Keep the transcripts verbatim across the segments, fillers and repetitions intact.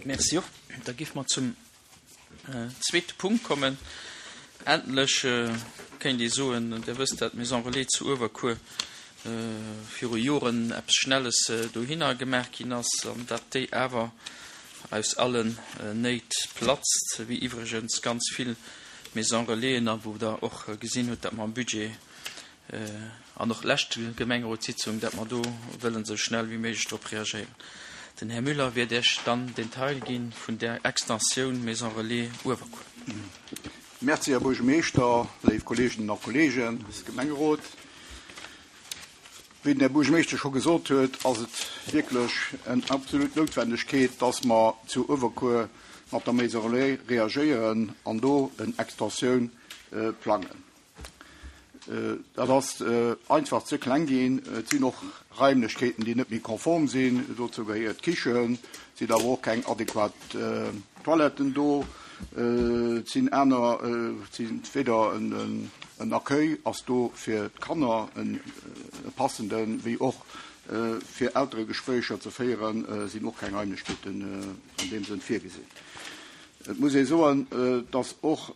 Merci och. Da géife mer zum zweete Punkt kommen. Endlech kéint ee soen, Dir wësst, dat d'Maison Relais zu Uewerkuer viru Joren eppes Schnelles dohinner gemaach ginn ass an dat déi awer aus allen Néit platzt, wéi iwwregens ganz vill Maison Relaisen, a wou Der och gesinn hutt, dat mer am Budget an och lescht Gemengerotssitzung, dat mer do wëllen esou schnell wéi méiglech drop reagéieren. Den Här Müller wäert Iech dann den Detail gi vun där Extensioun Maison Relais Uewerkuer. Merci, Här Buergermeeschter, léif Kolleeginnen a Kolleegen, Gemengerot. Wéi den Här Buergermeeschter scho gesot huet, ass et wierklech eng absolut Noutwendegkeet, dass mer zu Uewerkuer mat der Maison Relais reagéieren an do eng Extensioun plangen. Dat ass einfach ze kleng ginn. Et sinn och Raimlechkeeten, déi net méi konform sinn. Dozou gehéiert d'Kichen, et sinn awer och keng adequat Toiletten do. Et sinn aner, et sinn weder en Accueil ass do fir d'Kanner e passenden, wéi och fir Elteregespréicher ze féieren, sinn och keng Raimlechkeeten an deem Sënn virgesinn. Et muss ee soen, dass och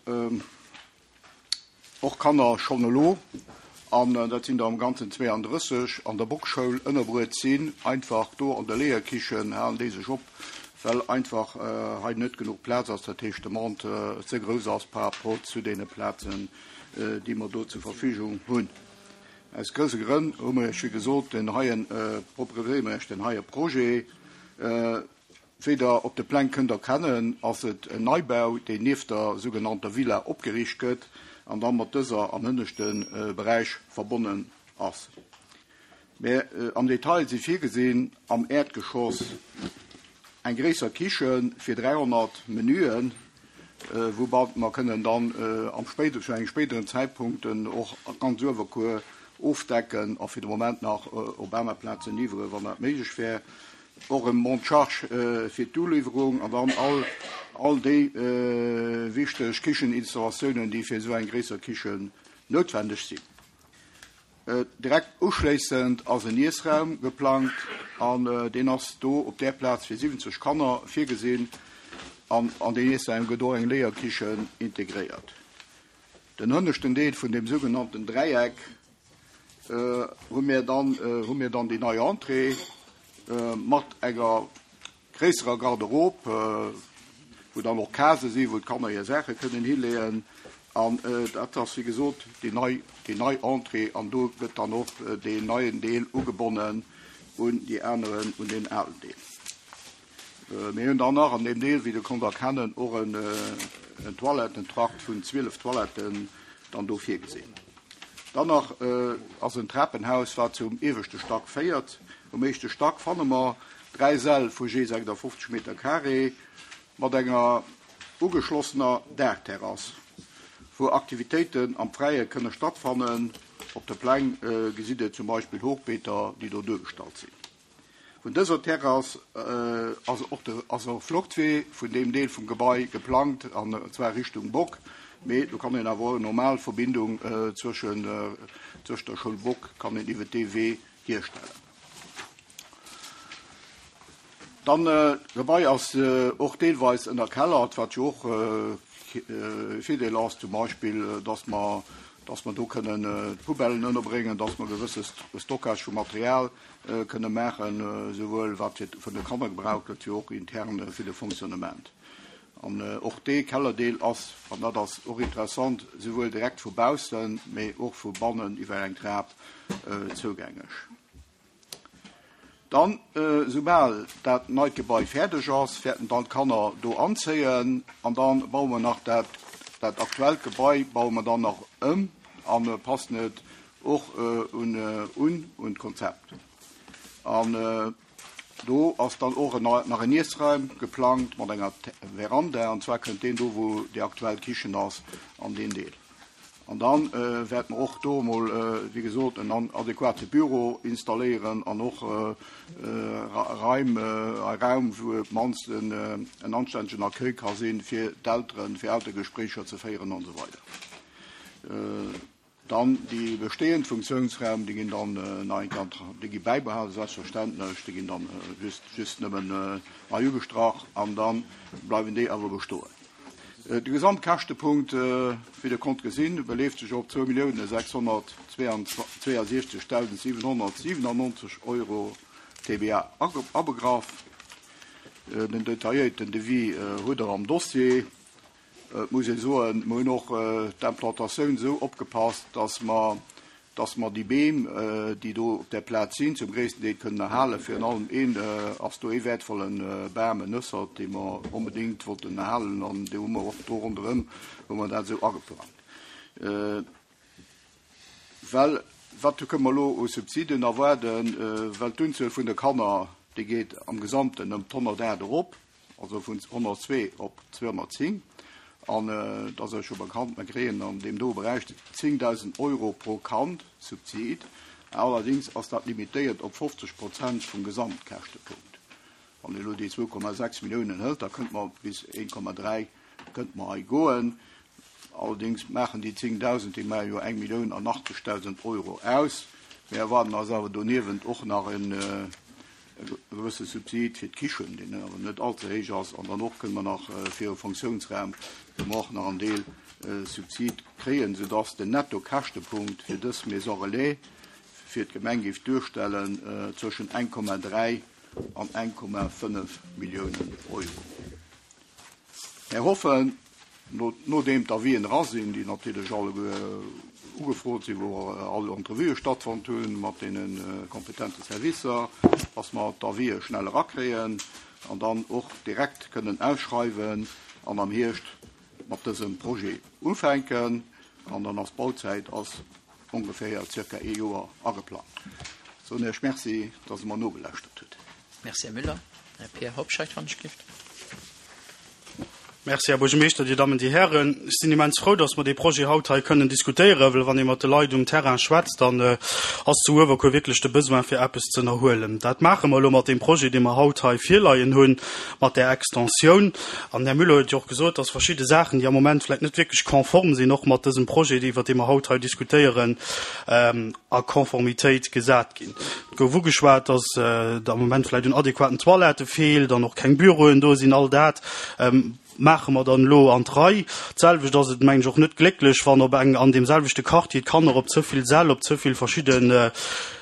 och Kanner schonn elo, an dat sinn der am Ganzen zweeandrësseg, an der Bockschoul ënnerbruet sinn, einfach do an der Léierkichen halen déi sech op, well einfach hei net genuch Plaz ass, dat heescht d'Demande ze grouss ass par rapport zu deene Plazen, déi mer do zur Verfügung hunn. Aus grousse Grënn hu mer Iech, wéi gesot, den heien, proposéiere mer Iech den heie Projet. Wéi Der op de Pläng kënnt erkennen, ass et en Neibau, deen nieft der sougenannter Villa opgeriicht gëtt an da mat dëser am hënneschte Beräich verbonnen ass. Mä am Detail si virgesinn am Äerdgeschoss eng gréisser Kiche fir dräihonnert Menüen, woumat mer kënnen dann am spéide, zu engem spéideren Zäitpunkt och ganz Uewerkuer ofdecken a fir de Moment nach op aner Plazen liwweren, wann dat méiglech wär. Och e Monte-charge fir d'Uliwwerung an dann all, all déi wichteg Kicheninstallatiounen, déi fir esou eng gréisser Kichen noutwendeg sinn. Direkt uschléissend ass en Iessraum geplangt an deen ass do op där Plaz fir siwwenzeg Kanner virgesinn an an deen Iessraum gëtt och eng Léierkichen integréiert. Den hënneschten Deel vun deem sougenannten Dräieck hu mir dann, hu mir dann déi nei Entrée mat enger gréisserer Garderobe, wou dann och Case sinn, wou d'Kanner hir Saache kënnen hileeën. An dat ass, wéi gesot, déi nei, déi nei Entrée an do gëtt dann och deen neien Deel ugebonnen un déi aneren, un deen alen Deel. Mir hunn dann nach an deem Deel, wéi Der konnt erkennen, och en, en Toilettentrakt vun zwielef Toiletten dann do virgesinn. Dann nach ass en Trapenhaus, wat zum ieweschte Stack féiert. Um éischte Stack fanne mer dräi Säll vu jee sechsundfünfzig Meter carré mat enger ugeschlossener Daachterrass, wou Aktivitéiten am Fräie kënne stattfannen. Op de Pläng gesitt Dir zum Beispill Hochbeeter, déi do duergestallt sinn. Vun dëser Terrass ass och de, ass och Fluchtwee vun deem Deel vum Gebai geplangt, an zwar Richtung Bock. Mee do kann een awer och normal Verbindung zwëschen, zwëscht der Schoul Bock kann een iwwer dee Wee hierstellen. Dann d'Gebai ass och deelweis ënnerkellert, wat jo och Virdeel ass, zum Beispill, dass mer, dass mer do kënnen d'Poubellen ënnerbréngen, dass mer gewësse Stockage vu Material kënne maachen, souwuel wat fir vun de Kanner gebraucht gëtt, wéi och intern fir de Fonctionnement. An och dee Kellerdeel ass, an dat ass och interessant, souwuel direkt vu baussen, mee och vu bannen iwwer eng Trap zougängeg. Dann, soubal dat neit Gebai fäerdeg ass, wäerten dann d'Kanner do anzéien an dann baue mer nach dat, dat aktuellt Gebai baue mer dann nach ëm an passen et och un, un, un d'Konzept. An do ass dann och nach en Iessraum geplangt mat enger Veranda, an zwar kënnt deen do, wou déi aktuell Kichen ass, an deen Deel. An dann wäerte mer och do emol, wéi gesot, en adequate Büro installéieren an och Raim, e Raum, wou op d'mannst en anstännegen Accueil ka sinn, fir d'Elteren, fir Elteregespréicher ze féieren an esou weider. Dann déi bestehend Funktionsraum, déi ginn dann nach eng Kéier, déi gi bäibehalen, selbstverständlech, déi ginn dann just, just nëmmen nei ugestrach an da bleiwen déi awer bestoen. De Gesamtkäschtepunkt, wéi Der konnt gesinn, beleeft sech op zwou Milliounen sechshonnertzweiundsechzegdausend siwenhonnertsiwenannonzeg Euro, T V A abegraff. Den detailléierten Devis hutt Der am Dossier. Et muss ee soen, mir hunn och d'Implantatioun esou opgepasst, dass mer, dass mer déi Beem, déi do op der Plaz sinn, zum gréissten Deel kënnen erhalen. Virun allem een ass do ee wäertvollen Bam, en Nëssert, dee mer onbedéngt wollten erhalen, an dee hu mer och do ronderëm, hu mer dat esou ageplangt. Well, wat kënnen mer elo u Subsiden erwaarden, well d'Unzuel vun de Kanner, déi geet am Gesamten ëm d'honnertacht erop, also vun honnertzwee op zweehonnertzéng. An dat ass jo scho bekannt, mir kréien an deem do Beräich zéngdausend Euro pro Kand Subsid. Allerdings ass dat limitéiert op fofzeg Prozent vum Gesamtkäschtepunkt. Wann ee elo déi zwou Komma sechs Milliounen hëlt, da kënnt mer bis een Komma dräi kënnt mer hei goen. Allerdings maachen déi zéngdausend, déi maachen jo eng Millioun an achtzegdausend Euro aus. Mir erwarten eis awer doniewent och nach en gewësse Subsid fir d'Kichen, deen awer net allze héich ass, an dann och kënnen mer nach fir e Funktionsraum, wou mer och nach en Deel Subsid kréien, sodass den Netto-Käschtepunkt fir dës Maison Relais fir d'Gemeng géif duerstellen zwëschen eng Komma dräi an eng Komma fënnef Milliounen Euro. Mir hoffen, nodeem d'Avisen era sinn, déi natierlech alleguer ugefrot sinn, wou all Entrevuë stattfonnt hunn mat deene kompetente Servicer, dass mer d'Avisen schnell erakréien an dann och direkt kënnen ausschreiwen an am Hierscht mat dësem Projet ufänken. An dann ass d'Bauzäit ass ongeféier circa ee Joer ageplant. So, Iech merci, dass Der mer nogelauschtert hutt. Merci, Här Müller. Här Pierre Hobscheit, wann ech gift. Merci, Här Buergermeeschter, Dir Dammen, Dir Hären. Ech sinn immens frou, dass mer dee Projet haut hei kënnen diskutéieren, well wann ee mat de Leit um Terrain schwätzt, dann ass zu Uewerkuer wierklech de Besoin fir eppes ze ënnerhuelen. Dat maache mer elo mat deem Projet, dee mer haut hei virleien hunn, mat där Extensioun. An Här Müller huet jo och gesot, dass verschidde Saachen, déi am Moment vläicht net wierklech konform sinn, och mat dësem Projet, iwwer dee mer haut hei diskutéieren, a Konformitéit gesat ginn. Et gouf ugeschwat, dass et am Moment vläicht un adäquaten Toilette feelt, dann och keng Büroen do sinn, all dat maache mer dann elo an d'Rei. D'selwecht ass et, mengen ech, och net glécklech, wann op eng, an deem selwechte Quartier d'Kanner op ze vill Säll, op ze vill verschidde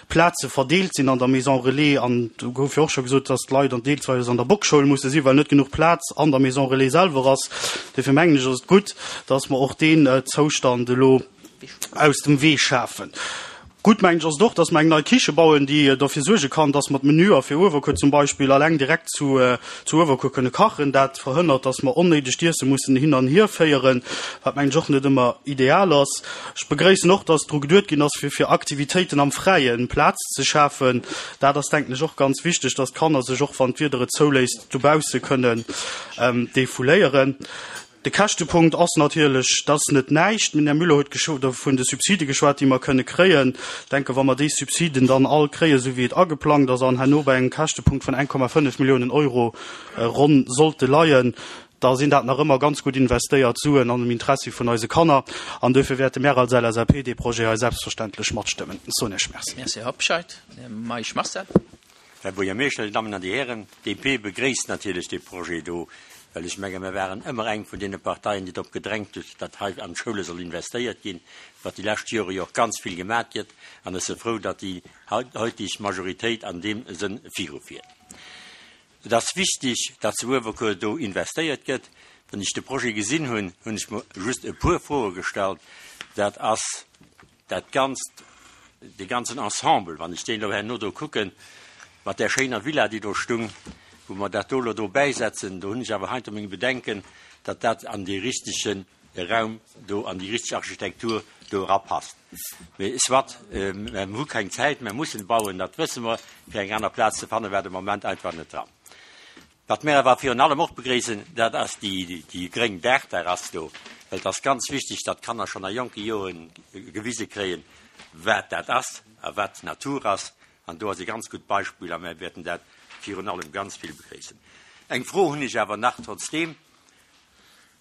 Plaze verdeelt sinn an der Maison Relais. An do gouf jo och scho gesot, dass d'Leit an deelsweis an der Bockschoul musse sinn, well net genuch Plaz an der Maison Relais selwer ass. Dofir mengen ech, ass et gutt, dass mer och deen Zoustand elo aus dem Wee schafen. Gutt, mengen ech, ass et och, dass mer eng nei Kiche bauen, déi dofir suerge kann, dass mer d'Menüer fir Uewerkuer zum Beispill alleng direkt zu, zu Uewerkuer kënne kachen. Dat verhënnert, dass mer onnéideg d'Iesse mussen hin an hier féieren, wat mengen ech och net ëmmer ideal ass. Ech begréissen och, dass dru geduet ginn ass, fir, fir Aktivitéiten am Fräien Plaz ze schafen. Dat ass, denken ech, och ganz wichteg, dass d'Kanner sech och, wann d'Wieder et zouléisst, dobausse kënnen defouléieren. De Käschtepunkt ass natierlech, dat ass net näischt. Den Här Müller huet vun de Subside geschwat, déi mer kënne kréien. Ich denke, wa mer déi Subsiden dann all kréien, esou wéi et ageplangt ass, an herno bei engem Käschtepunkt vun eng Komma fënnef Milliounen Euro ronn sollte leien, da sinn dat nach ëmmer ganz gutt investéiert Suen an dem Interessi vun eise Kanner. An dofir wäerte mir als L S A P dee Projet hei selbstverständlech matstëmmen. So, Iech merci. Merci, Här Hobscheit. Här Meisch Marcel. Här Buergermeeschter, Dir Dammen an Dir Hären, d'D P begréisst natierlech dee Projet do, well ech menge, mir waren ëmmer eng vun deene Parteien, déi drop gedrängt huet, datt hei an d'Schoule soll investéiert ginn, wat déi lescht Jore jo och ganz vill gemaach gëtt, an ech si frou, datt déi heutig Majoritéit an deem Sënn virufiert. Et ass wichtig, datt zu Uewerkuer do investéiert gëtt. Wann ech de Projet gesinn hunn, hunn ech mir just e puer Froe gestallt. Dat ass dat ganzt, de ganzen Ensemble, wann ech deen elo herno do kucken, mat där schéiner Villa, déi do stung, wou mer dat do elo do bäisetzen, do hunn ech awer heinter menge Bedenken, datt dat an dee richtege Raum do, an déi richteg Architektur do erapasst. Mee soit, mir hu keng Zäit, mir mussen bauen, dat wësse mer, fir eng aner Plaz ze fannen, war de Moment einfach net dran. Wat mir awer virun allem och begréissen, dat ass déi, déi gréng Daachterrass do, well et ass ganz wichteg, datt d'Kanner schonn a jonke Joren gewise kréien, wat dat ass a wat d'Natur ass. An do ass e ganz gutt Beispill, a mir wäerten dat virun allem ganz vill begréissen. Eng Fro hunn ech awer nach trotzdem.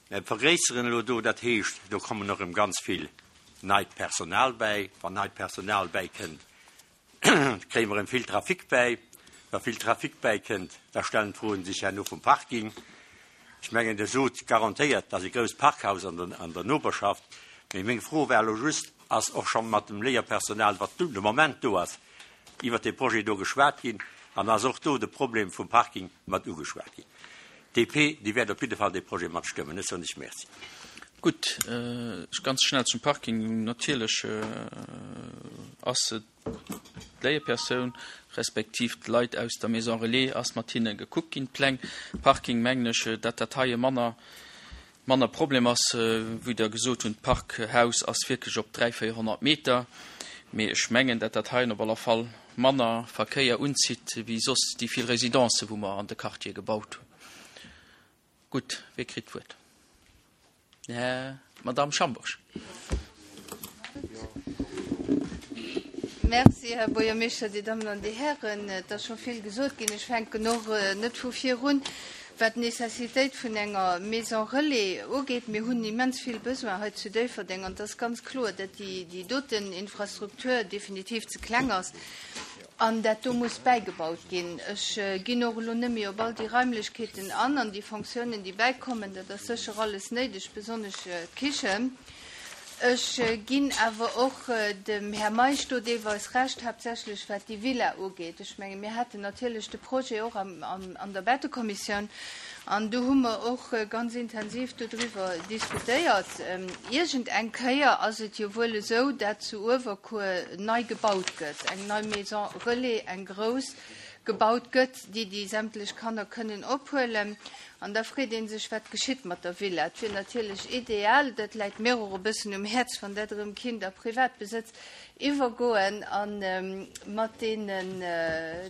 Mir vergréisseren elo do, dat heescht, do kommen noch ëm ganz vill neit Personal bäi. Wann neit Personal bäikënnt, kréie mer erëm vill Trafic bäi. Wa vill Trafic bäikënnt, da stellen d'Froen sech herno vum Parking. Ech mengen, Dir sot garantéiert, dass e grousst Parkhaus an der, an der Noperschaft. Mee meng Fro war elo just, Ass och scho mat dem Léierpersonal, wat de Moment do ass, iwwert dee Projet do geschwat ginn an ass och do de Problem vum Parking mat ugeschwat ginn? D P, déi wäert op jidde Fall dee Projet matstëmmen. Ech soen lech Merci. Gutt, ganz schnell zum Parking. Natierlech ass et d'Léierpersoun respektiv d'Leit aus der Maison relais ass mat hinne gekuckt ginn, d'Pläng. Parking, mengen ech, datt dat hei e manner, manner Problem ass. Wéi Der gesot hunn, d'Parkhaus ass wierklech op dräi, véierhonnert Meter. Mee ech mengen, datt dat heien op alle Fall manner Verkéier unzitt wéi soss déi vill Residencen, wou mer an de Quartiere gebaut hunn. Gutt, wie kritt d'Wuert? Här, Madame Schambourg. Merci, Här Buergermeeschter, Dir Dammen an Dir Hären. Et ass scho vill gesot ginn. Ech fänken och net vu vir un. Wat d'Nécessitéit vun enger Maison relais ugeet, mir hunn immens vill Besoin hei zu Déifferdeng an et ass ganz kloer, datt déi doten Infrastruktur definitiv ze kleng ass an dat do muss bäigebaut ginn. Ech ginn och elo net méi op all déi Raimlechkeeten an an déi Fonctiounen, déi bäikommen. Dat ass sécher alles néideg, besonnesch d'Kichen. Ech ginn awer och dem Här Meisch do deelweis Recht, haaptsächlech wat déi Villa ugeet. Ech menge mir haten natierlech de Projet och an der Bettekommissioun an do hu mer och ganz intensiv dodriwwer diskutéiert. Iergend eng Kéier ass et jo wuel esou, dat zu Uewerkuer nei gebaut gëtt, eng nei Maison relais, eng grouss, gebaut gëtt, déi déi sämtlech Kanner kënnen ophuelen. An da freet ee sech, wat geschitt mat der Villa. Et wier natierlech ideal, dat läit mir och e bëssen um Häerz, wann dat erëm kinnt a Privatbesëtz iwwergoen a mat deenen,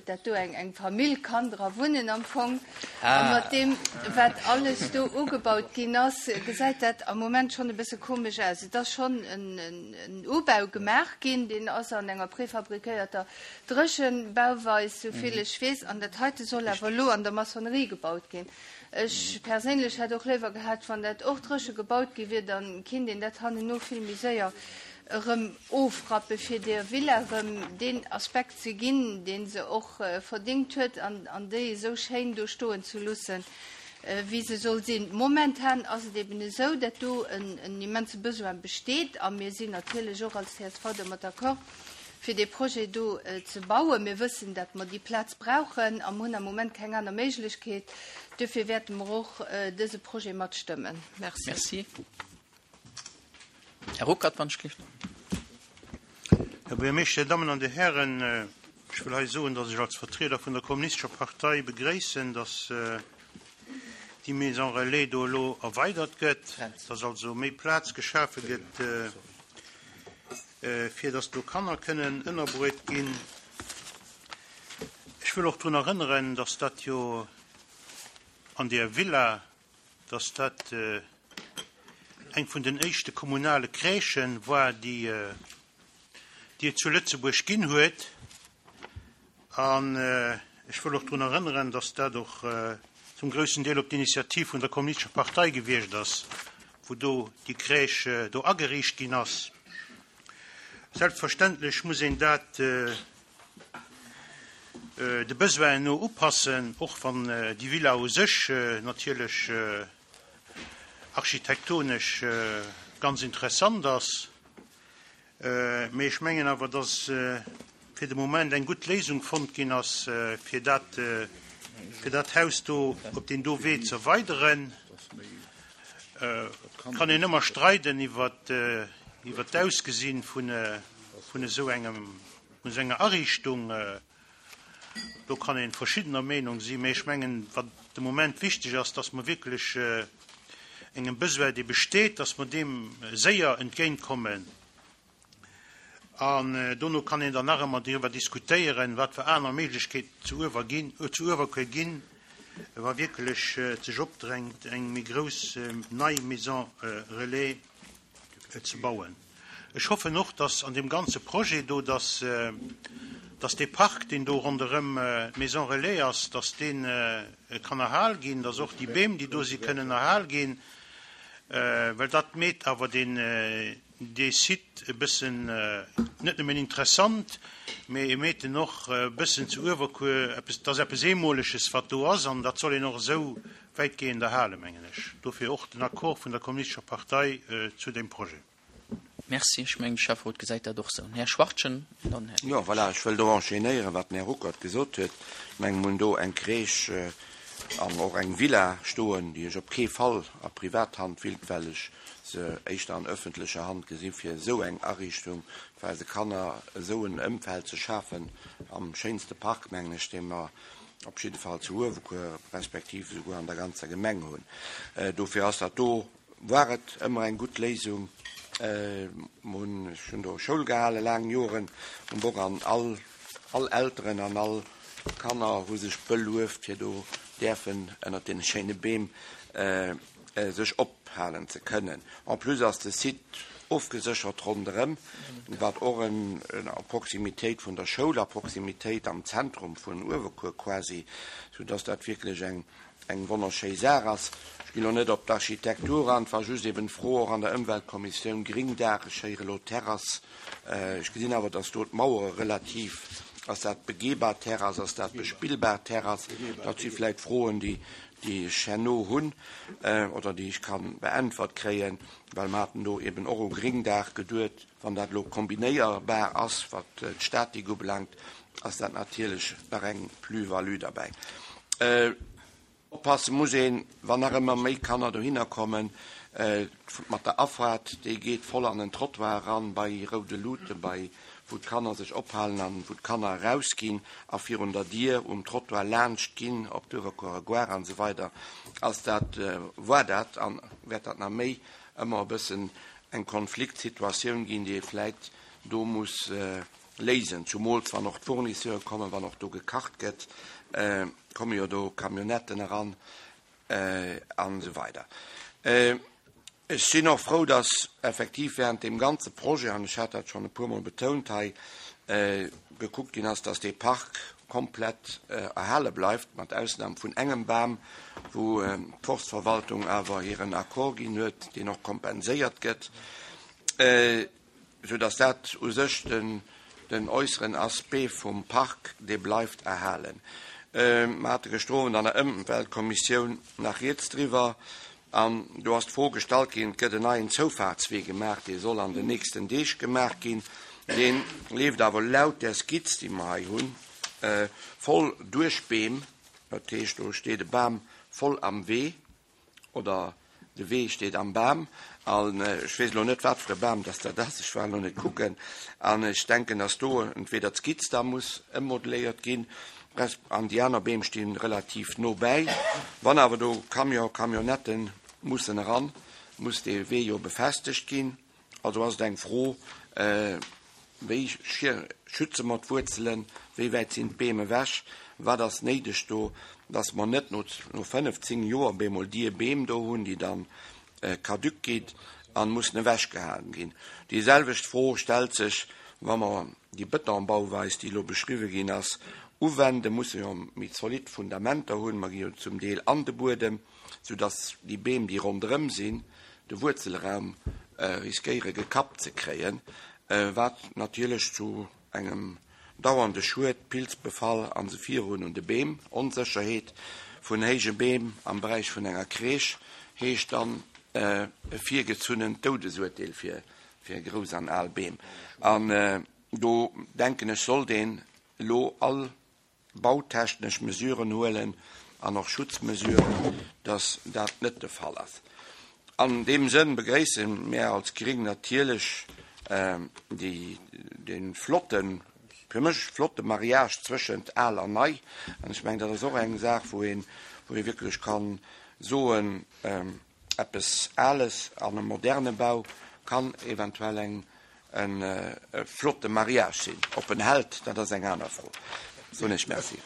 dat do eng eng Famill kann dra wunnen am Fong. A mat deem, wat alles do ugebaut ginn ass, gesäit dat am Moment schonn e bësse komesch aus. Et ass schonn en Ubau gemaach ginn, deen ass an enger prefabriquéierter Dréchenbauweis, souvill ech weess, an dat heite soll awer elo an der Maçonnerie gebaut ginn. Ech perséinlech hätt och léiwer gehat, wann dat och dréche gebaut gi wier, da kinnt een dat hannenno vill méi séier erëm ofrappen, fir der Villa erëm deen Aspekt ze ginn, dee se och verdéngt huet, an déi esou schéin do stoen ze loossen, wéi se soll sinn. Momentan ass et eben esou, dat do en immense Besoin besteet, a mir sinn natierlech och als C S V domat d'accord, fir dee Projet do ze bauen. Mir wëssen, datt mer déi Plaz brauchen a mer hunn am Moment keng aner Méiglechkeet. Duerfir wäerte mer och dëse Projet matstëmmen. Merci. Merci. Här Ruckert, wann ech gelift. Här Buergermeeschter, Dir Dammen an Dir Hären, ech wëll hei soen, datt ech als Vertrieder vun der Kommunistescher Partei begréissen, datt déi Maison relais do elo erweidert gëtt, datt also méi Plaz geschafe gëtt, fir datt do Kanner kënnen ënnerbruet ginn. Ech wëll och drun erënneren, datt dat jo an där Villa, datt dat eng vun den éischte kommunale Crèchë war, déi déi et zu Lëtzebuerg ginn huet. An ech wëll och drun erënneren, datt dat och zum groussen Deel op d'Initiativ vun der Kommunistescher Partei gewiescht ass, wou do déi Crèche do ageriicht ginn ass. Selbstverständlech muss een dat de Besoinen no upassen, och wann déi Villa u sech natierlech architektonesch ganz interessant ass. Mee ech mengen awer, dass fir de Moment eng gutt Léisung fonnt ginn ass, fir dat, fir dat Haus do op deen do Wee ze erweideren. Et kann een ëmmer streiden iwwer iwwer d'Ausgesinn vun vun esou engem vun esou enger Ariichtung. Do kann ee verschiddener Meenung sinn, mee ech mengen, wat de Moment wichteg ass, dass mer wierklech engem Besoin, dee besteet, dass mer deem séier entgéintkommen. An dono kann een dann nach ëmmer driwwer diskutéieren, wat fir aner Méiglechkeeten zu Uewer ginn, zu Uewerkuer ginn, wa wierklech et sech opdrängt, eng méi grouss nei Maison relais ze bauen. Ech hoffen och, dass an deem ganze Projet do, dass, dass dee Park, deen do ronderëm d'Maison relais ass, dass dee kann erhal ginn, dass och déi Beem, déi do si, kënnen erhal ginn, well dat meet awer deen, dee Site e bëssen net nëmmen interessant, mee e meet en och e bëssen zu Uewerkuer eppes, dat ass eppes Eemoleges, wat do ass, an dat soll een och esou wäitgehend erhalen, mengen ech. Dofir och den Accord vun der Kommunistescher Partei zu deem Projet. Merci. Ech mengen, de Schäfferot gesäit dat och esou. Den Här Schwachtgen, dann den Här. Jo, voilà, ech wëll do enchaînéieren, wat den Här Ruckert gesot huet. Ech mengen, mir hunn do eng Crèche an och eng Villa stoen, déi ech op kee Fall a Privathand willt, well ech se éischter an öffentlecher Hand gesi fir esou eng Ariichtung fir eise Kanner esou en Ëmfeld ze schafen am schéinste Park, mengen ech, dee mer op jidde Fall zu Uewerkuer respektiv esouguer an der ganzer Gemeng hunn. Dofir ass dat do, war et ëmmer eng gutt Léisung. Mer hunn, ech hunn do Schoul gehale laang Joren um Bock an all, all Elteren an all Kanner hu sech belueft fir do däerfen ënnert deene schéine Beem sech ophalen ze kënnen. En plus ass de Site ofgeséchert ronderëm, wat och en a Proximitéit vun der Schoul, a Proximitéit am Zentrum vun Uewerkuer quasi, soudass dat wierklech eng eng wonnerschéi Saach ass. Ech ginn elo net op d'Architektur an, et war just eben d'Fro och an der Ëmweltkommissioun, Gringdaach, ech héiere elo Terrass, ech gesinn awer, dass do d'Mauere relativ, ass dat begehbar Terrass, ass dat bespillbar Terrass, dat si vläicht Froen, déi déi ech herno hunn oder déi ech ka beäntwert kréien, well mer haten do eben och u Gringdaach geduet. Wann dat elo kombinéierbar ass, wat d'Statik ubelaangt, ass dat natierlech nach eng Plus-value derbäi. Oppasse muss een, wann nach ëmmer méi Kanner dohinner kommen, mat der Afaart, déi geet voll an den Trottoir eran, bei roude Luuten, bei wou d'Kanner sech ophalen an wou d'Kanner erausginn a virun der Dier um Trottoir laanscht ginn op d'Uewerkuerer Gare an esou weider, ass dat, war dat an wäert dat nach méi ëmmer e bëssen eng Konfliktsituatioun ginn, déi ee vläit do muss léisen, zumools wann och d'Fournisseure kommen, wann och do gekacht gëtt, komme jo do Camionnetten eran an esou weider. Ech sinn och frou, dass effektiv während deem ganze Projet, an ech hat dat schonn e puermol betount hei, gekuckt ginn ass, dass dee Park komplett erhale bleift, mat Ausnam vun engem Bam, wou d'Forstverwaltung awer hiren Accord ginn huet, deen och kompenséiert gëtt, soudass dat u sech den äusseren Aspect vum Park, dee bleift erhalen. Mer hate gëschter Owend an der Ëmweltkommissioun nach rieds driwwer. An do ass d'Fro gestallt ginn, et gëtt en neien Zoufahrtswee gemaach, dee soll an den nächsten Deeg gemaach ginn. Dee leeft awer laut där Skizz, déi mer hei hunn, voll duerch Beem. Dat heescht, do steet e Bam voll am Wee oder de Wee steet am Bam. An ech weess elo net, wat fir e Bam dass dat ass, ech war elo net kucken. An ech denken, dass do entweder d'Skizz da muss ëmmodelléiert ginn, resp. An déi aner Beem sti relativ no bäi. Wann awer do Camion, Camionnetten mussen eran, muss dee Wee jo befestegt ginn. Also ass et eng Fro, wéi schütze mer d'Wuerzelen, wéi wäit sinn d'Beem ewech, wat ass néideg do, dass mer net no fënnef, zéng Joer bemol déi Beem do hunn, déi dann caduc ginn a mussen ewechgehaen ginn. Déi selwecht Fro stellt sech, wa mer déi Betonbauweis, déi elo beschriwwe ginn ass, uwenden, musse jo méi zolidd Fundamenter hunn. Mer gi jo zum Deel an de Buedem, soudass déi Beem, déi ronderëm sinn, de Wuerzelraum riskéiere gekappt ze kréien, wat natierlech zu engem dauernde Schued, Pilzbefall an esou virun un de Beem, Onsécherheet vun héije Beem am Beräich vun enger Crèche heescht dann e virgezunnent Doudesurteel fir grouss an al Beem. An do denken ech, sollt een elo all bautechnesch Mesuren huelen an och Schutzmesuren, dass dat net de Fall ass. An deem Sënn begréisse mär als Gring natierlech déi, dee flotten, fir mech flotte Mariage zwëschent al an nei. An ech mengen, dat ass och eng Saach, wou een, wou ee wierklech ka soen, eppes Ales an e moderne Bau kann eventuell eng e flotte Mariage sinn. Ob en hält, dat ass eng aner Fro. Soen ech Merci.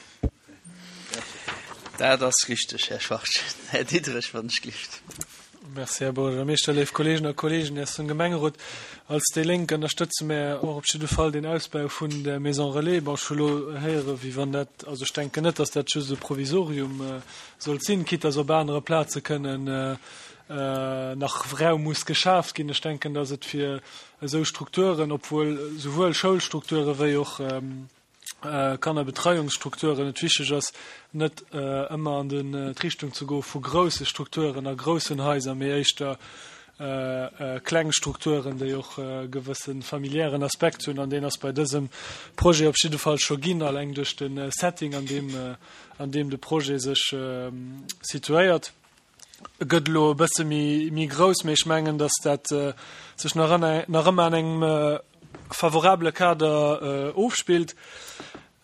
Dat ass richteg, Här Schwachtgen. Här Diderich, wann ech gelift. Merci, Här Buergermeeschter, léif Kolleegen a Kolleegen aus dem Gemengerot. Als déi Lénk ënnerstëtze mär och op jidde Fall den Ausbau vun der Maison Relais. Bon, ech hu lo héiere wéi wann dat, also ech denken net, dass dat just e Provisorium sollt sinn, quitte dass op anere Plaze kënnen nach Raum muss geschaaft ginn. Ech denken, dass et fir esou Strukturen, obwuel souwuel Schoulstrukture wéi och Kannerbetreiungsstrukturen, et wichteg ass, net ëmmer an d'Richtung ze goe vu grousse Strukturen a groussen Haiser, mee éischter kleng Strukturen, déi och e gewësse familiären Aspekt hunn. An deen ass bei dësem Projet op jidde Fall scho ginn, alleng duerch de Setting, an deem, an deem de Projet sech situéiert. E gëtt elo e bësse méi, méi grouss, mee ech mengen, dass dat sech nach nach ëmmer an engem favorabele Kader ofspillt.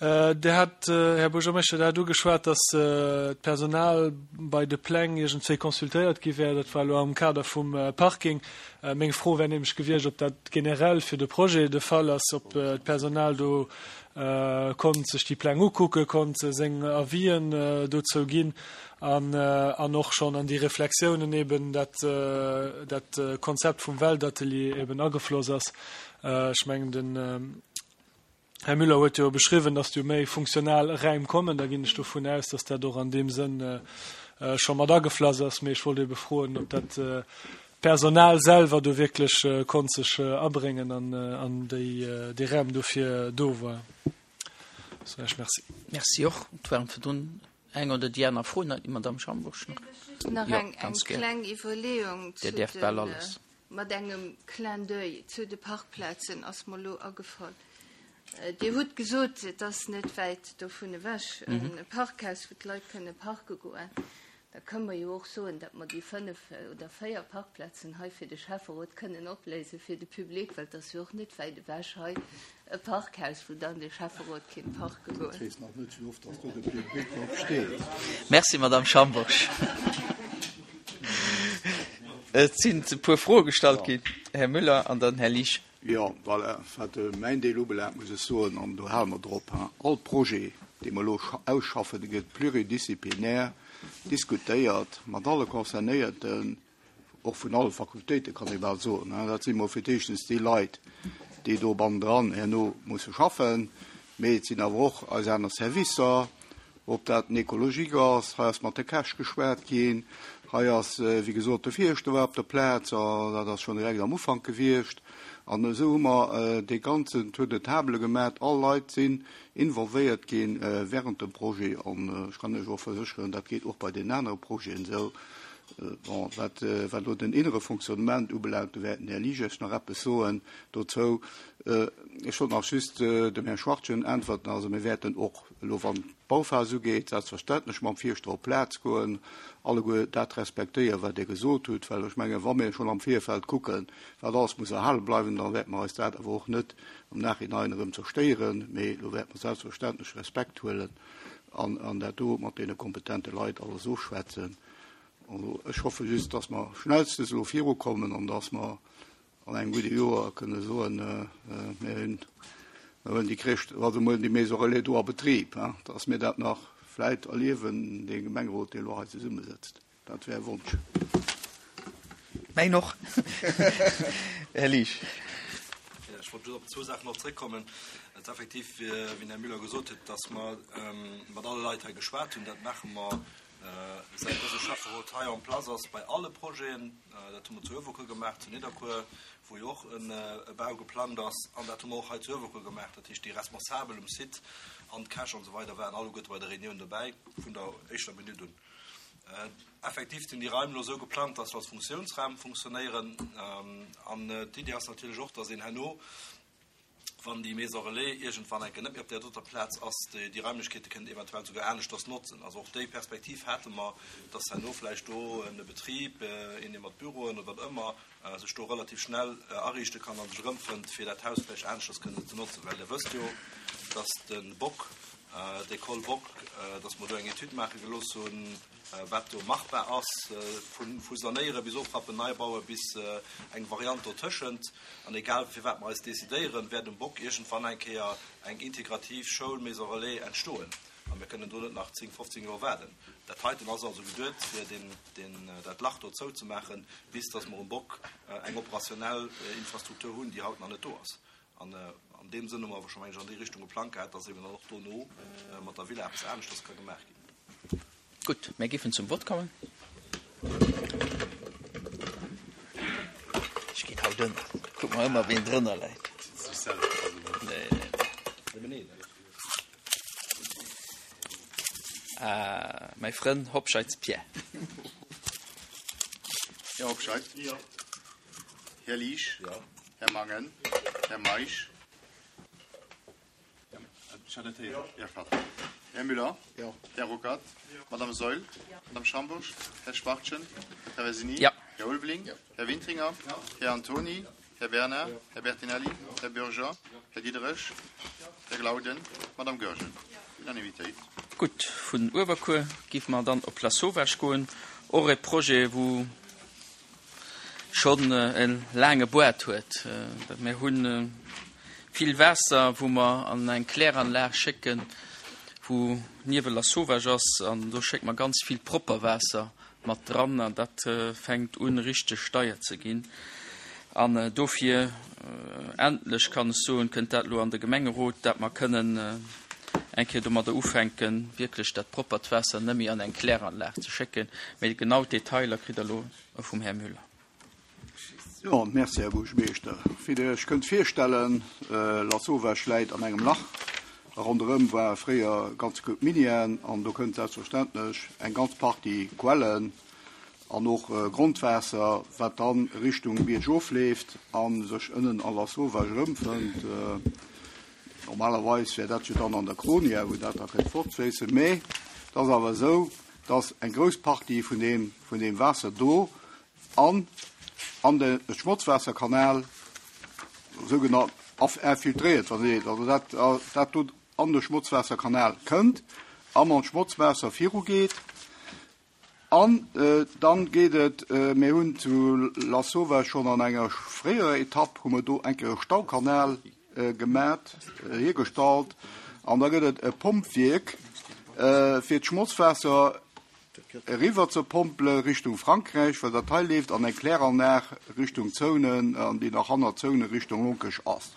Dir hat, Här Buergermeeschter, Dir hat ugeschwat, dass d'Personal bei de Pläng iergendwéi consultéiert gi wär. Dat war elo am Kader vum Parking. Meng Fro wär nämlech gewiescht, ob dat generell fir de Projet de Fall ass, ob d'Personal do konnt sech déi Pläng ukucken, konnt seng Avisen dozou ginn an, an och schonn an déi Reflexiounen eben dat, dat Konzept vum Weltatelier eben agefloss ass. Ech mengen, den Här Müller huet jo beschriwwen, dass do méi funktional Räim kommen. Da ginn ech dovun aus, dass dat och an deem Sënn scho mat ageflass ass. Mee ech wollt ebe froen, ob dat Personal selwer do wierklech konnt sech abréngen an, an déi, dee Raum dofir do war. Sou, ech merci. Merci och. Et waren virdrun eng oder déi aner Fro. Déi Madamm Schambourg nach. Nach Jo, eng, eng ganz gär. kleng Iwwerleeung Dir zu däerft bal den, alles. mat engem Clin d'oeil zu de Parkplazen ass mer elo agefall. Dir hutt gesot, et ass net wäit dovun ewech e Parkhaus, wou d'Leit kënne parke goen. Da kënne mer jo och soen, datt mer déi fënnef oder véier Parkplazen hei fir de Schäfferot kënnen opléise fir de Public, well et ass jo och net wäit ewech hei e Parkhaus, wou dann de Schäfferot kéint parke goen. Ech weess nach net, wéi oft datt do de Public drop steet. Merci, Madamm Schambourg. Et sinn e puer Froe gestallt ginn, Här Müller an dann Här Liesch. Jo, voilà, wat mäin Deel ubelaangt, muss ech soen, an do hale mer drop, all Projet, dee mer elo ausschaffen, dee gëtt pluridisziplinär diskutéiert mat alle Concernéierten, och vun alle Fakultéiten, kann ee bal soen. Dat si mol fir d'éischtens déi Leit, déi do bannendran herno musse schaffen, mee et sinn awer och eis aner Servicer, ob dat den Ecologique ass, hei ass mat de Käch geschwat ginn, hei ass, wéi gesot, de Fierschter war op der Plaz, a dat ass schonn direkt am Ufank gewiescht. An esou hu mer dee ganzen Tour de table gemaach. All Leit sinn involvéiert gi während dem Projet. An ech kann lech och versécheren, dat geet och bei deenen anere Projeten esou. Bon, wat wat elo den innere Fonctionnement ubelaangt, do wäert den Här Liesch nach eppes soen dozou. Ech wollt nach just dem Här Schwachtgen äntwerten. Also mir wäerten och elo, wann d'Bauphas ugeet, selbstverständlech mam Fierschter op d'Plaz goen, alleguer dat respektéieren, wat Dir gesot hutt, well ech mengen, wa mir schonn am Virfeld kucken, wat alles muss erhale bleiwen, da wäerte mer eis dat awer och net am Nachhinein erëm zerstéieren, mee do wäerte mer selbstverständlech Respekt huelen an an dat do mat deene kompetente Leit alles ofschwätzen. Also ech hoffe just, dass mer schnellstens elo virukommen an dass mer an engem gudde Joer kënne soen, mir hunn, mir huelen déi Crèche, also mir huelen déi Maison relais do a Betrib, dass mir dat nach vläit erliewen, dee Gemengerot, dee elo hei zesummesëtzt. Dat wär e Wonsch. Mäin och. Här Liesch. Ech wollt just op zwou Saachen nach zréckkommen. Et ass effektiv, wéi den Här Müller gesot huet, dass mer mat alle Leit hei geschwat hunn. Dat maache mer, säit dëse Schäfferot hei en place ass, bei alle Projeten. Dat hu mer zu Uewerkuer gemaach, zu Nidderkuer, wou jo och e Bau geplangt ass, an dat hu mer och hei zu Uewerkuer gemaach. Dat heescht, déi Responsabel um Site an d'Käch an esou weider waren alleguerte bei der Reunioun dobäi, vun der éischter Minutt un. Effektiv sinn déi Raim elo esou geplangt, dass se als Funktiounsraum funktionéieren. An d'Iddi ass natierlech och, dass een herno, wann déi Maison relais iergendwann eng Kéier net méi op där doter Plaz ass, déi Raimlechkeete kënnt eventuell souguer aneschters notzen. Also och déi Perspektiv hate mer, dass herno vläicht do e Betrib, een, dee mat Büroen oder wat ëmmer, sech do relativ schnell ariichte kann a sech erëmfënnt, fir dat Haus vläicht aneschters kënnen ze notzen. Well Dir wësst jo, dass de Bock, d'École Bock, dass mer do eng Etüd maache gelooss hunn, wat do machbar ass, vu sanéiere bis ofrappen, neibaue bis eng Variant dotëschent. An egal fir wat mer eis decidéieren, wäert um Bock iergendwann eng Kéier eng integrativ Schoul, Maison relais entstoen. A mir kënnen do net nach zéng, fofzéng Joer waarden. Dat heiten ass also geduet, fir dat Lach do zouzemaachen, bis datt mer um Bock eng operationell Infrastruktur hunn, déi haut nach net do ass. An an deem Sënn hu mer awer scho, meng ech, an déi Richtung geplangt gehat, datt eben dann och dono mat der Villa eppes aneschters ka gemaach ginn. Gutt, mir géifen zum Vott kommen. drënner. Kuck mer ëmmer, ween drënner läit. Nee, nee. Ah, mäi Frënn Hobscheitz Pierre. Här Hobscheit. Jo. Här Liesch. Jo. Här Mangen. Här Meisch. Här Müller. Jo. Här Ruckert. Madame Saeul. Madame Schambourg. Här Schwachtgen. Här Traversini. Jo. Här Ulveling. Här Wintringer. Här Antoni. Här Bernard. Här Bertinelli. Här Bürger. Här Diderich. Här Glauden. Madame Goergen. Unanimitéit. Gutt, vun Uewerkuer géife mer dann op Lasauvage goen. Och e Projet, wou schonn e laange Boart huet. Mir hu vill Waasser, wou mer an eng Kläranlag schécken, wou niewel Lasauvage ass, an do schécke mer ganz vill propper Waasser mat dran, an dat fänkt un richteg deier ze ginn. An dofir, endlech kann ech soen, kënnt dat elo an de Gemengerot, dat mer kënnen eng Kéier domadder ufänken, wierklech dat proppert Waasser net méi an eng Kläranlag ze schécken. Mee genau d'Detailer kritt Der elo vum Här Müller. Jo, merci, Här Buergermeeschter. Wéi Der Iech kënnt virstellen, Lasauvage läit an engem Lach. Ronderëm war fréier ganz gutt Minière an do kënnt selbstverständlech eng ganz Partie Quellen an och Grondwaasser, wat dann Richtung Bierg ofleeft a sech ënnen a Lasauvage erëmfënnt. Normalerweis wär dat jo dann an der Kronia, wou dat da kënnt fortfléissen. Mee et ass awer esou, dass eng grouss Partie vun deem, vun deem Waasser do an an de Schmotzwaasserkanal sougenannt infiltréiert, wann Dir, also dat, dat do an de Schmotzwaasserkanal kënnt a mam Schmotzwaasser virugeet. An dann geet et, mir hunn zu Lasauvage schonn an enger fréierer Etapp, hu mer do eng Kéier e Staukanal gemat, hiergestallt, an da gëtt et e Pompwierk, fir d'Schmotzwaasser eriwwer ze pompele Richtung Frankräich, well dat hei leeft an eng Kläranlag Richtung Zounen, an déi nach hanner Zounen Richtung Lonkech ass.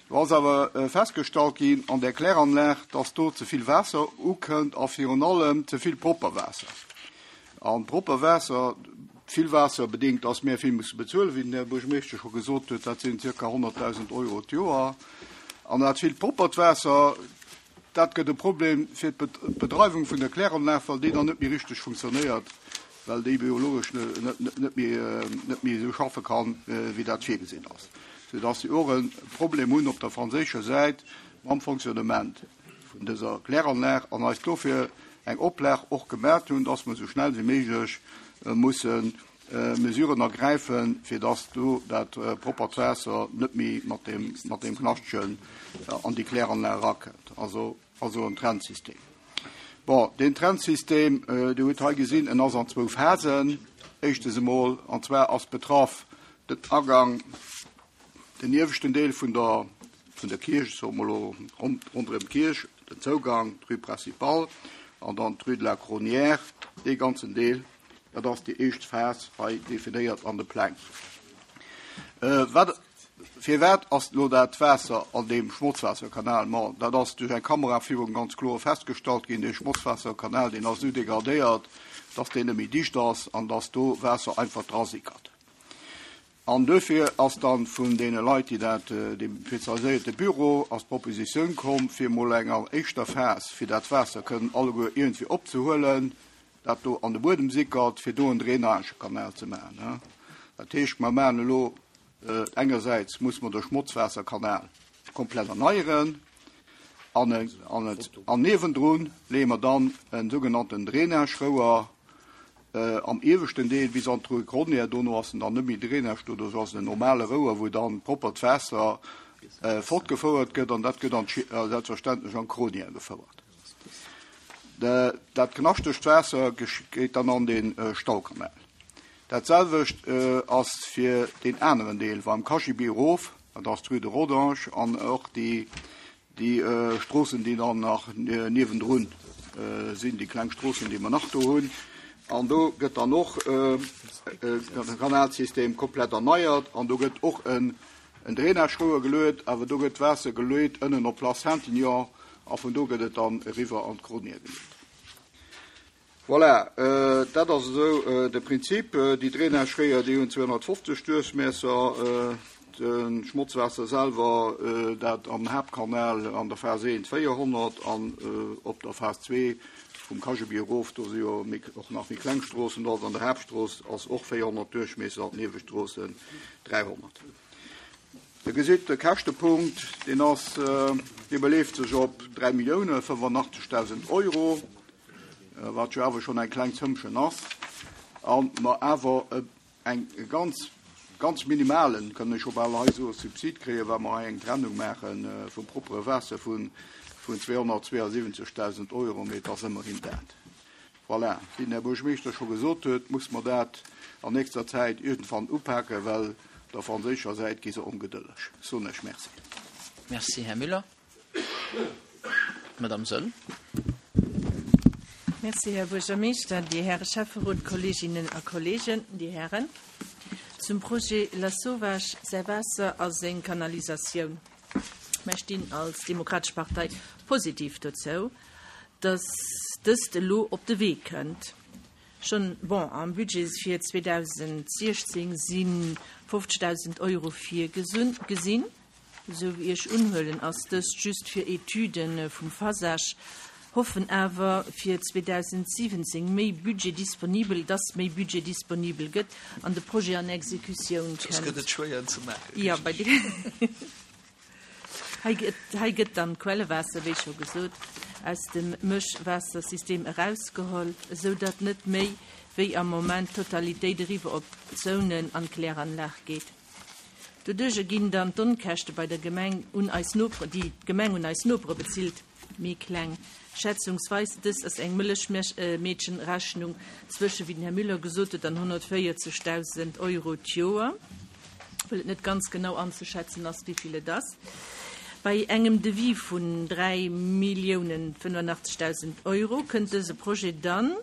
Do ass awer festgestallt ginn an där Kläranlag, dass do ze vill Waasser ukënnt a virun allem ze vill propper Waasser. An propper Waasser, vill Waasser bedéngt, dass mir vill musse bezuelen, wéi den Här Buergermeeschter scho gesot huet, dat sinn zirka honnertdausend Euro d'Joer. An dat vill proppert Waasser, dat gëtt e Problem fir d'Bedreiwung vun der Kläranlag, well déi dann net méi richteg funktionéiert, well déi biologesch net méi esou schaffe kann, wéi dat virgesinn ass, soudass si och e Problem hunn op der franséischer Säit mam Fonctionnement vun dëser Kläranlag an eis dofir eng Oplag och gemat hunn, dass mer esou schnell wéi méiglech musse Mesuren ergräifen, fir dass do dat proppert Waasser net méi mat deem, mat deem Knaschtchen an déi Kläranlag erakënnt. Also, also en Trennsystem. Bon, deen Trennsystem, Dir hutt hei gesinn, en ass an zwou Phasen. Éischtens emol, an zwar ass betraff den Agang, den ieweschten Deel vun der, vun der Kierch, soe mer elo ronderëm d'Kierch, den Zougang, d'Rue Principale an dann d'Rue de la Cronière, dee ganzen Deel. Dat ass déi éischt Phas hei definéiert an de Pläng. Wat, firwat ass elo dat Waasser an deem Schmotzwaasserkanal? Ma dat ass duerch eng Kameraführung ganz kloer festgestallt ginn. Dee Schmotzwaasserkanal, deen ass esou degradéiert, dass deen net méi dicht ass an dass do Waasser einfach drasickert. An duerfir ass dann vun deene Leit, déi dat, deem spezialiséierte Büro, ass d'Propositioun komm, fir emol eng éischter Phas, fir dat Waasser kënnen alleguer iergendwéi opzehuelen, dat do an de Buedem sickert, fir do en Drainagekanal ze maachen. Dat heescht, mer maachen elo, engersäits muss mer de Schmotzwaasserkanal komplett erneieren, an, an, an niewendrun leeë mer dann en sougenannten Drainagerouer am ieweschten Deel bis an d'Rue Gronier. Dono ass en dann net méi Drainage, doduerch ass en normale Rouer, wou dann proppert Waasser fortgefouert gëtt, an dat gëtt an selbstverständlech an d'Gronier gefouert. Dat knaschtegt Waasser geet dann an de Staukanal. Dat selwecht ass fir deen aneren Deel, beim Kaschibi erof, dat ass d'Rue de Rodange, an och déi Stroossen, déi dann nach niewendrun sinn, déi kleng Stroossen, déi mer nach do hunn. An do gëtt dann och de Kanalsystem komplett erneiert an do gëtt och en Drainagerouer geluet, awer do gëtt d'Waasser geluet ënnen op Place Saint-Aignan a vun do gëtt et dann eriwwer an d'Gronier geluet. Voilà, dat ass esou de Prinzip. Déi Drainageréier, déi hunn zweehonnertfofzeg Duerchmiesser. De Schmotzwaasser selwer, dat am Haaptkanal an der Phas eent véierhonnert an op der Phas zwee vum Kajebier erof, do si jo och nach méi kleng Stroossen, do ass an der Haaptstrooss ass och véierhonnert Duerchmiesser an d'Niewestroossen dräihonnert. Dir gesitt, de Käschtepunkt, deen ass, dee beleeft sech op dräi Millioune fënnefannachtzegdausend Euro, wat jo awer schonn eng kleng Zëmmchen ass, a mer awer eng ganz, ganz minimalen, kënn ech scho bal hei soen, Subsid kréien, wa mer hei eng Trennung maache vum proppere Waasser vun zweehonnertzweeasiwwenzegdausend Euro, mee et ass ëmmerhin dat. Voilà, wéi den Här Buergermeeschter scho gesot huet, muss mer dat an nächster Zäit iergendwann upaken, well der franséischer Säit gi se ongedëlleg. Soen ech Merci. Merci, Här Müller. Madame Söll. Merci, Här Buergermeeschter, Dir Häre Schäfferot, Kolleeginnen a Kolleegen, Dir Hären. Zum Projet Lasauvage, säi Waasser a seng Kanalisatioun. Mir stinn als Demokratesch Partei positiv dozou, dass dëst elo op de Wee kënnt. Schonn, bon, am Budget fir zweedausentsiechzéng si fofzegdausend Euro virgesinn. Esou wéi ech unhuelen, ass dëst just fir Etüde vum Phasage, hoffen awer fir zweedausentsiwwenzéng méi Budget disponibel, dass méi Budget disponibel gëtt an de Projet an Exekutioun Soss kënnt. gëtt et schwéier ze maachen. Jo, bei de Hei gëtt, hei gëtt dann d'Quellewaasser, wéi scho gesot, aus dem Mëschwaassersystem erausgeholl, esou datt net méi wéi am Moment d'Totalitéit eriwwer op d'Zounen an d'Kläranlag geet. Doduerch ginn dann d'Onkäschte bei der Gemeng un eis Nopere, déi d'Gemeng un eis Nopere bezilt, méi kleng. Schätzungsweis, dëst ass eng Mëllechmeedchenrechnung zwësche, wéi den Här Müller gesot huet, an honnertvéierzegdausend Euro d'Joer, well et net ganz genau anzeschätzen ass, wéi vill et ass. Bei engem Devis vun dräi Milliounen fënnefannachtzegdausend Euro kënnt dëse Projet dann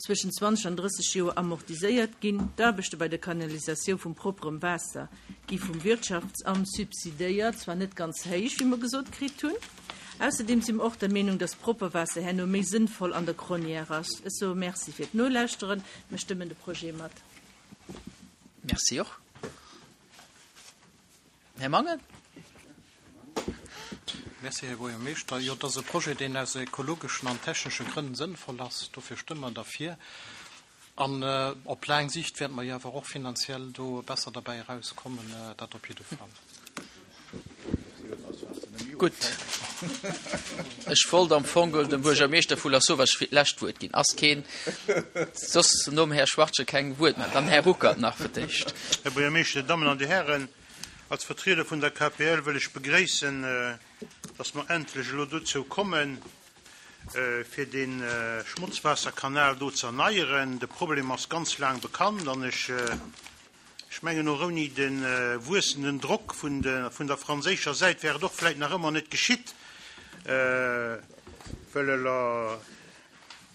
zwëschen zwanzeg an drësseg Joer amortiséiert ginn. D'Aarbechte bei der Kanalisatioun vum propperem Waasser gi vum Wirtschaftsamt subsidéiert, zwar net ganz héich, wéi mer gesot kritt hunn. Ausserdeem si mer och der Meenung, dass Propperwaasser herno méi sënnvoll an der Cronière ass. Ech soe Merci fir d'Nolauschteren. Mir stëmmen de Projet mat. Merci och. Här Mangen? Merci, Här Buergermeeschter. Jo, dat ass e Projet, deen aus ökologeschen an technesche Grënn sënnvoll ass. Dofir stëmme mer derfir. An op laang Sicht wäerte mer jo awer och finanziell do besser derbäi erauskommen, dat op jidde Fall. Gutt. Ech wollt am Fong dem Buergermeeschter vu Lasauvage fir d'lescht Wuert ginn. Ass keen soss nom Här Schwartje keng Wuert méi? Dann Här Ruckert nach fir d'éischt. Här Buergermeeschter, Dir Dammen an Dir Hären, als Vertrieder vun der K P L wëll ech begréissen, dass mer endlech elo dozou kommen, fir de Schmutzwaasserkanal do ze erneieren. De Problem ass ganz laang bekannt an ech ech mengen och ouni de wuessenden Drock vun de vun der franséischer Säit wär et och vläicht nach ëmmer net geschitt, well elo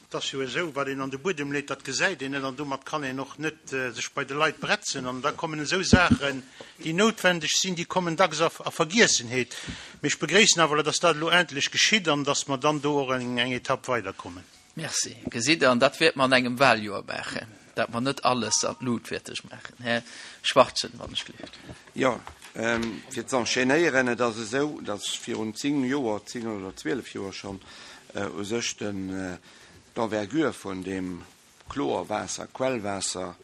et ass jo esou, wat een an de Buedem leet, dat gesäit een net an domat kann een och net sech bei de Leit bretzen. An da kommen esou Saachen, déi noutwendeg sinn, déi kommen dacks a a Vergiessenheet. Mee ech begréissen awer, dass dat elo endlech geschitt an dass mer dann do och eng eng Etapp weiderkommen. Merci. Gesitt Der, an dat wäerte mer an engem Wahljoer maachen, dat mer net alles an d'Lut wäerte maachen. Här Schwarzen, wann ech gleeft. Jo, fir ze enchaînéieren, et ass esou, dass virun zéng Joer, zéng oder zwielef Joer schonn, u sech den d'Envergure vun deem Chlorwaasser, Quellwaasser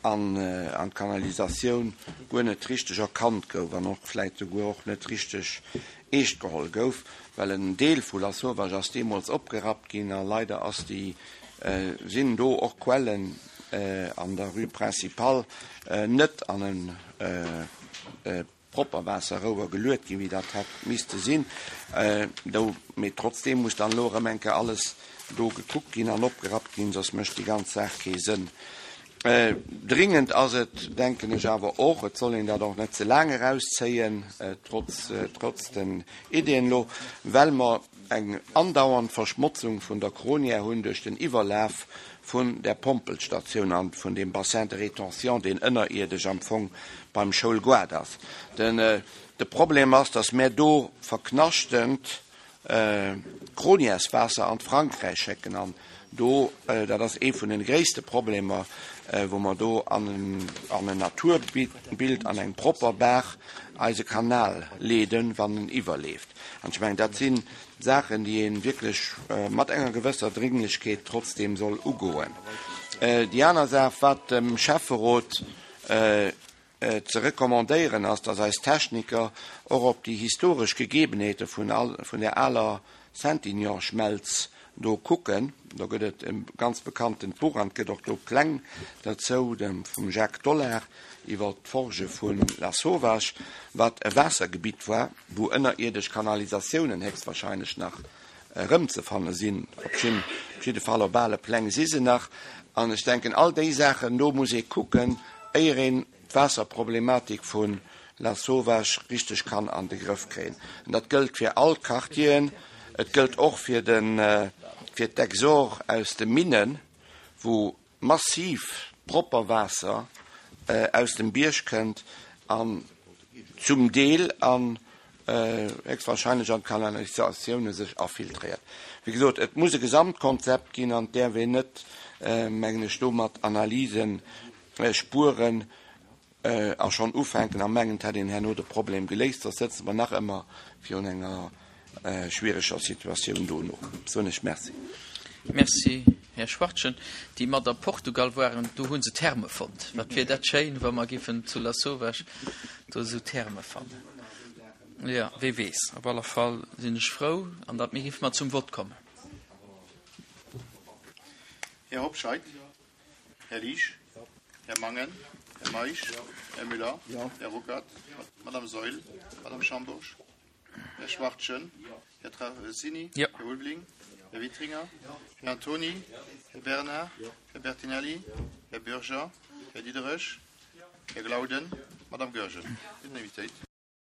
an an d'Kanalisatioun guer net richteg erkannt gouf an och vläit souguer och net richteg eescht geholl gouf, well en Deel vu Lasauvage ass deemools opgerappt ginn a leider ass déi sinn do och Quellen an der Rue Principale net an e Propperwaasserrouer geluet ginn, wéi dat hätt misste sinn. Do, mee trotzdeem muss dann elo erëm eng Kéier alles do gekuckt ginn an opgerappt ginn, soss mécht déi ganz Saach kee Sënn. Dringend ass et, denken ech awer och, et soll een dat och net ze laang erauszéien, trotz, trotz den Ideeën elo, well mer eng andauernd Verschmotzung vun der Cronière hunn duerch den Iwwerlaf vun der Pompelstatioun an vun deem Bassin de rétention, deen ënnerierdesch am Fong beim Schoulgoart ass. Den, de Problem ass, dass mär do verknaschtent Cronièreswaasser an d'Frankräich schécken an Do, dat ass ee vun de gréisste Problemer, wou mer do an en Naturbild, an eng propper Baach eise Kanal leeden, wann en iwwerleeft. An ech mengen, dat si Saachen, déi ee wierklech mat enger gewësser Dringlechkeet trotzdeem soll ugoen. Déi aner Saach, wat dem Schäfferot ze recommandéieren ass, dass eis Techniker och op déi historesch Gegebenheete vun där aler Saintignon-Schmelz do kucken. Do gëtt et e ganz bekanntent Buch an et gëtt och do Pläng derzou, dem vum Jacques Dollard, iwwer d'Forge vu Lasauvage, wat e Waassergebitt war, wou ënnerierdesch Kanalisatiounen héchstwahrscheinlech nach erëmzefanne sinn. Op jidde Fall op ale Pläng si se nach. An ech denken, all déi Saachen do muss ee kucken, éier een d'Waasserproblematik vu Lasauvage richteg kann an de Grëff kréien. An dat gëllt fir all d'Quartieren. Et gëllt och fir de fir d'Exhaure aus de Minnen, wou massiv propper Waasser aus dem Bierg kënnt an zum Deel an héchstwahrscheinlech an d'Kanalisatioune sech afiltréiert. Wéi gesot, et muss e Gesamtkonzept ginn an et däerf een net, mengen ech, do mat Analyse spueren a schonn ufänken a mengen, et hätt een herno de Problem geléist, soss sëtze mer nach ëmmer virun enger schwiereger Situatioun dono. Soen ech Merci. Merci, Här Schwachtgen. Déi mat a Portugal waren, do hu se Therme fonnt. Wat wier dat schéin, wa mer giffen zu Lasauvage do esou Therme fannen. Jo, wee weess. Op alle Fall sinn ech frou, an datt mir giffe mer zum Vott kommen. Här Hobscheit? Här Liesch? Här Mangen? Här Meisch? Här Müller? Här Ruckert? Madame Saeul? Madame Schambourg? Här Schwachtgen? Här Traversini? Här Ulveling? Här Witringer? Här Antony? Här Bernard? Här Bertinelli? Här Bürger? Här Diderich? Här Glauden? Madame Goergen? Unanimitéit.